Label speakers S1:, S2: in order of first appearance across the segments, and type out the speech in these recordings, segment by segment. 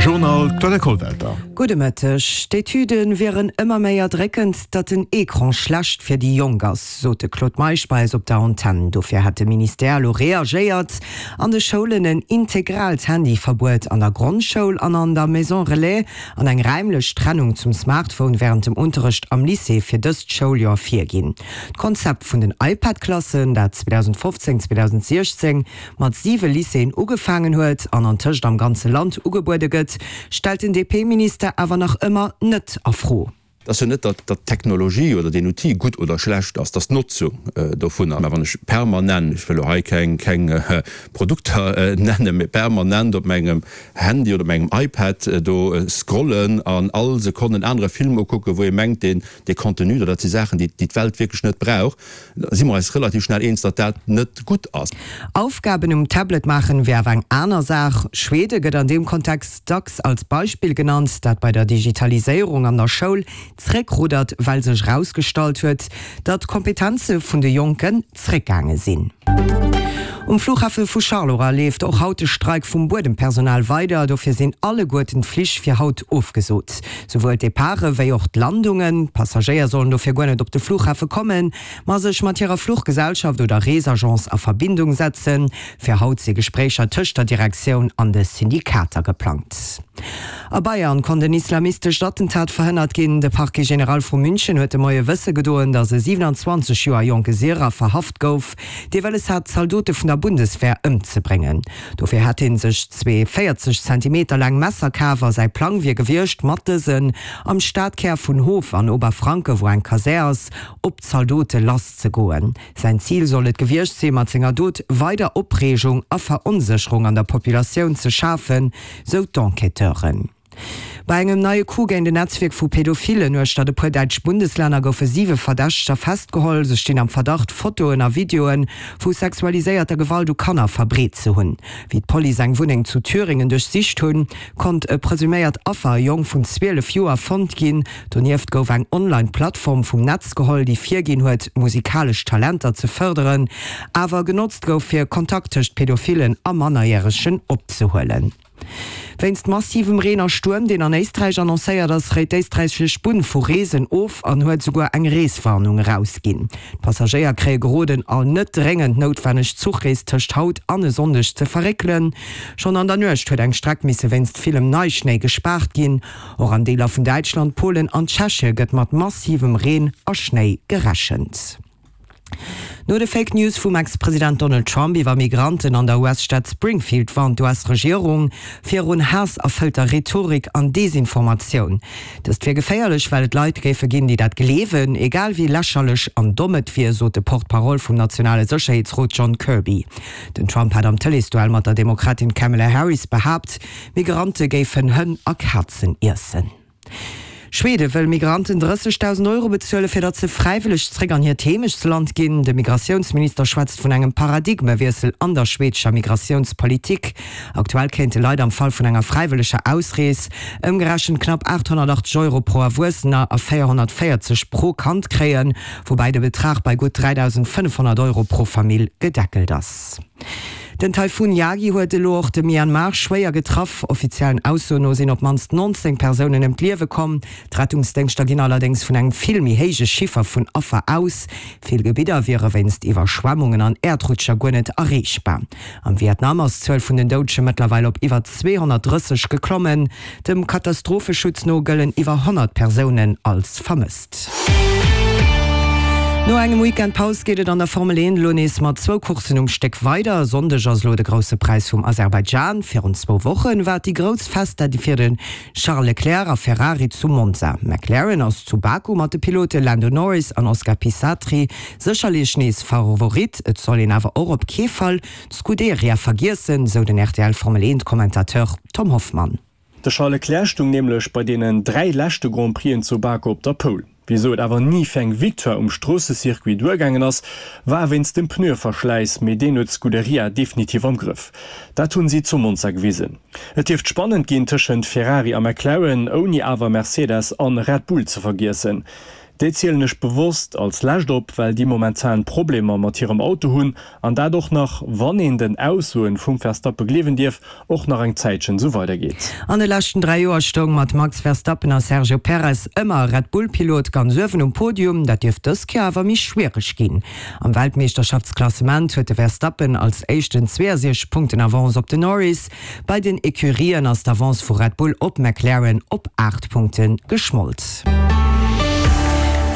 S1: Journal Claudia Kollwelter.
S2: Gudde Mëtteg. D'Etüde wieren ëmmer méi erdréckend, datt den Ecran schlecht fir déi Jonk ass, sot de Claude Meisch bei eis op der Antenn. Dofir hätt de Ministère elo reagéiert an de Schoulen en integraalt Handyverbuet an der Grondschoul an an der Maison Relais an eng räimlech Trennung zum Smartphone wärend dem Unterrecht am Lycée fir dëst Schouljoer virginn. D'Konzept vun den iPad-Klassen, dat 2015, 2016 mat siwe Lycéeën ugefaangen huet an antëscht am ganze Land ugebuede gëtt, stellt den DP-Minister awer nach ëmmer net a Fro.
S3: Et ass jo net, datt d'Technologie oder deen Outil gutt oder schlecht ass, et ass d'Notzung dovunner. Mä wann ech permanent, ech wëll elo hei keng Produkter nennen, mä permanent op mengem Handy oder op mengem iPad do scrollen an all Sekonn en anere Film ukucken, wou ee mengt, deen dee Contenu oder dat si Saachen, déi d'Welt wierklech net brauch, da si mer eis relativ schnell eens, datt dat net gutt ass.
S2: Aufgaben um Tablet maachen wier awer eng aner Saach. Schwede gëtt an deem Kontext dacks als Beispill genannt, dat bei der Digitaliséierung an der Schoul zréckruddert, well sech erausgestallt huet, datt d'Kompetenze vun de Jonken zréckgaange sinn. Um Flughafe vu Charleroi leeft och haut de Streik vum Buedempersonal weider. Dofir sinn alleguerten d'Flich fir haut ofgesot. Souwuel d'Departe wéi och d'Landungen. D'Passagéier sollen dofir guer net op de Flughafe kommen, ma sech mat hirer Fluchgesellschaft oder Reesagence a Verbindung setzen. Fir haut si Gespréicher tëscht der Direktioun an de Syndikater geplangt. A Bayern konnt en islamistescht Attentat verhënnert ginn. De Parquet général vu München huet de Moie wësse gedoen, datt e 27 Joer jonke Syrer verhaft gouf, dee wëlles hat, Zaldote vun der Bundeswehr ëmzebréngen. Dofir hätt hie sech zwee 40 Zentimeter laang Messer kaf a säi Plang wier gewiescht, mat dësen am Stadkär vun Hof an Oberfranke, wou eng Kasär ass, op d'Zaldote lasszegoen. Säin Zil soll et gewiescht sinn, mat senger Dot weider Opreegung a Veronsécherung an der Populatioun ze schafen, sou d'Enquêteuren. Bei engem neie Coup géint en Netzwierk vu Pädophilen uechter e puer däitsch Bundeslänner goufe siwe Verdächteger festgeholl. Se stinn am Verdacht, Fotoen a Videoe vu sexualiséierter Gewalt u Kanner verbreet ze hunn. Wéi d'Police eng Wunneng zu Thüringen duerchsicht hunn, konnt e presuméiert Affer, e Jong vun 12 Joer, fonnt ginn. Donieft gouf eng Online-Plattform vum Netz geholl, déi virginn huet, musikalesch Talenter ze fërderen, awer genotzt gouf, fir Kontakt tëscht Pädophilen a Mannerjäregen opzehuelen. Wéinst massivem Reen a Stuerm, deen an Éisträich annoncéiert ass, réit d'éisträichesch Bunn vu Reesen of an huet esouguer eng Reeswarnung erausginn. D'Passagéier kréie geroden, all net dréngend noutwenneg Zuchrees tëscht haut an e Sonndeg ze verréckelen. Schonn an der Nuecht huet eng Streck misse wéinst villem Neischnéi gespaart ginn. Och an Deeler vun Däitschland, Polen an Tschechie gëtt mat massivem Reen a Schnéi gerechent. No de Fake News vum Ex-President Donald Trump iwwer Migranten an der US-Stad Springfield warnt d'US-Regierung virun haasserfëllter Rhetorik an Desinformatioun. Dëst wier geféierlech, well et Leit géife ginn, déi dat gleewen, egal wéi lächerlech an domm et wier, sot de Porte-parole vum nationale Sécherheetsrot John Kirby. Den Trump hat am Tëleesduell mat der Demokratin Kamala Harris behaapt, Migrante géifen Hënn a Kazen iessen. Schwede wëll Migranten 30.000 Euro bezuelen, fir datt se fräiwëlleg zréck an hiert Heemechtsland ginn. De Migratiounsminister schwätzt vun engem Paradigmewiessel an der schweedescher Migratiounspolitik. Aktuell kéinte Leit am Fall vun enger fräiwëlleger Ausrees ëmgerechent knapp 880 Euro pro Erwuessener a 440 pro Kand kréien, woubäi de Betrag bei gutt 3.500 Euro pro Famill gedeckelt ass. Den Taifun Yagi huet elo och de Myanmar schwéier getraff. Offiziellen Aussoen no sinn op d'mannst 19 Persounen ëm d'Liewe komm. D'Rettungsdéngschter ginn allerdéngs vun engem vill méi héije Chiffer vun Affer aus. Vill Gebidder wiere wéinst Iwwerschwemmungen an Äerdrutscher guer net erreechbar. Am Vietnam ass d'Zuel vun den Doudege mëttlerweil op iwwer 230 geklommen. Dem Katastropheschutz no gëllen iwwer 100 Persounen als vermësst. No engem Weekend Paus geet et an der Formel 1 elo nees mat zwou Courssen um Stéck weider. E Sonndeg ass elo de Grousse Präis vum Aserbaidschan. Virun zwou Woche war et déi grouss Festa fir de Charles Leclerc a Ferrari zu Monza. McLaren ass zu Baku mat de Pilote Lando Norris an Oscar Pisatri sécherlech nees Favorit. Et soll een awer och op kee Fall d'Scuderia vergiessen, sou den rtl Formel 1 Commentateur Tom Hoffmann.
S4: De Charles Leclerc stung nämlech bei deenen 3 leschte Grand Prixen zu Baku op der Pole. Wisou et awer ni fir eng Victoire um Stroossecircuit duergaangen ass, war wéinst dem Pneueverschläiss, mee deen huet d'Scuderia definitiv am Grëff. Dat hunn si zu Monza gewisen. Et dierft spannend ginn tëschent Ferrari a McLaren, ouni awer Mercedes an Red Bull ze vergiessen. Déi zielen ech bewosst als lescht op, well déi momentan Problemer mat hirem Auto hunn an dat och nach, wann een den Aussoen vum Verstappen gleewen dierf, och nach eng Zäitchen esou weidergeet.
S2: An de leschten 3 Joer stoung mat Max Verstappen a Sergio Perez ëmmer e Red Bull-Pilot ganz uewen um Podium. Dat dierft dës Kéier awer méi schwiereg ginn. Am Weltmeeschterschaftsklassement huet de Verstappen als éischten 62 Punkten Avance op den Norris. Bei den Ecurien ass d'Avance vu Red Bull op McLaren op 8 Punkte geschmolt.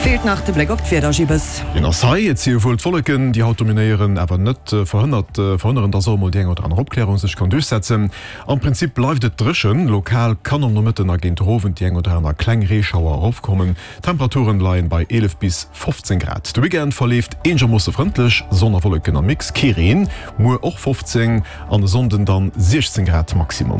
S2: Feelt nach de Bléck op d'Wieder, Gibbes.
S1: Deen ass hei. Et si wuel d'Wolleken, déi haut dominéieren, awer net verhënnert verhënneren, dass och emol déi eng oder aner Opklärung sech kann duerchsetzen. Am Prinzip bleift et dréchen, lokal kann am Nomëtten a géint de Owend déi eng oder aner kleng Reeschauer erofkommen. D'Temperaturen leien bei 11 bis 15 Grad. De Weekend verleeft eenegermoosse frëndlech, Sonn a Wolleken am Mix, kee Reen. Muer och 15 an e Sonnden dann 16 Grad Maximum.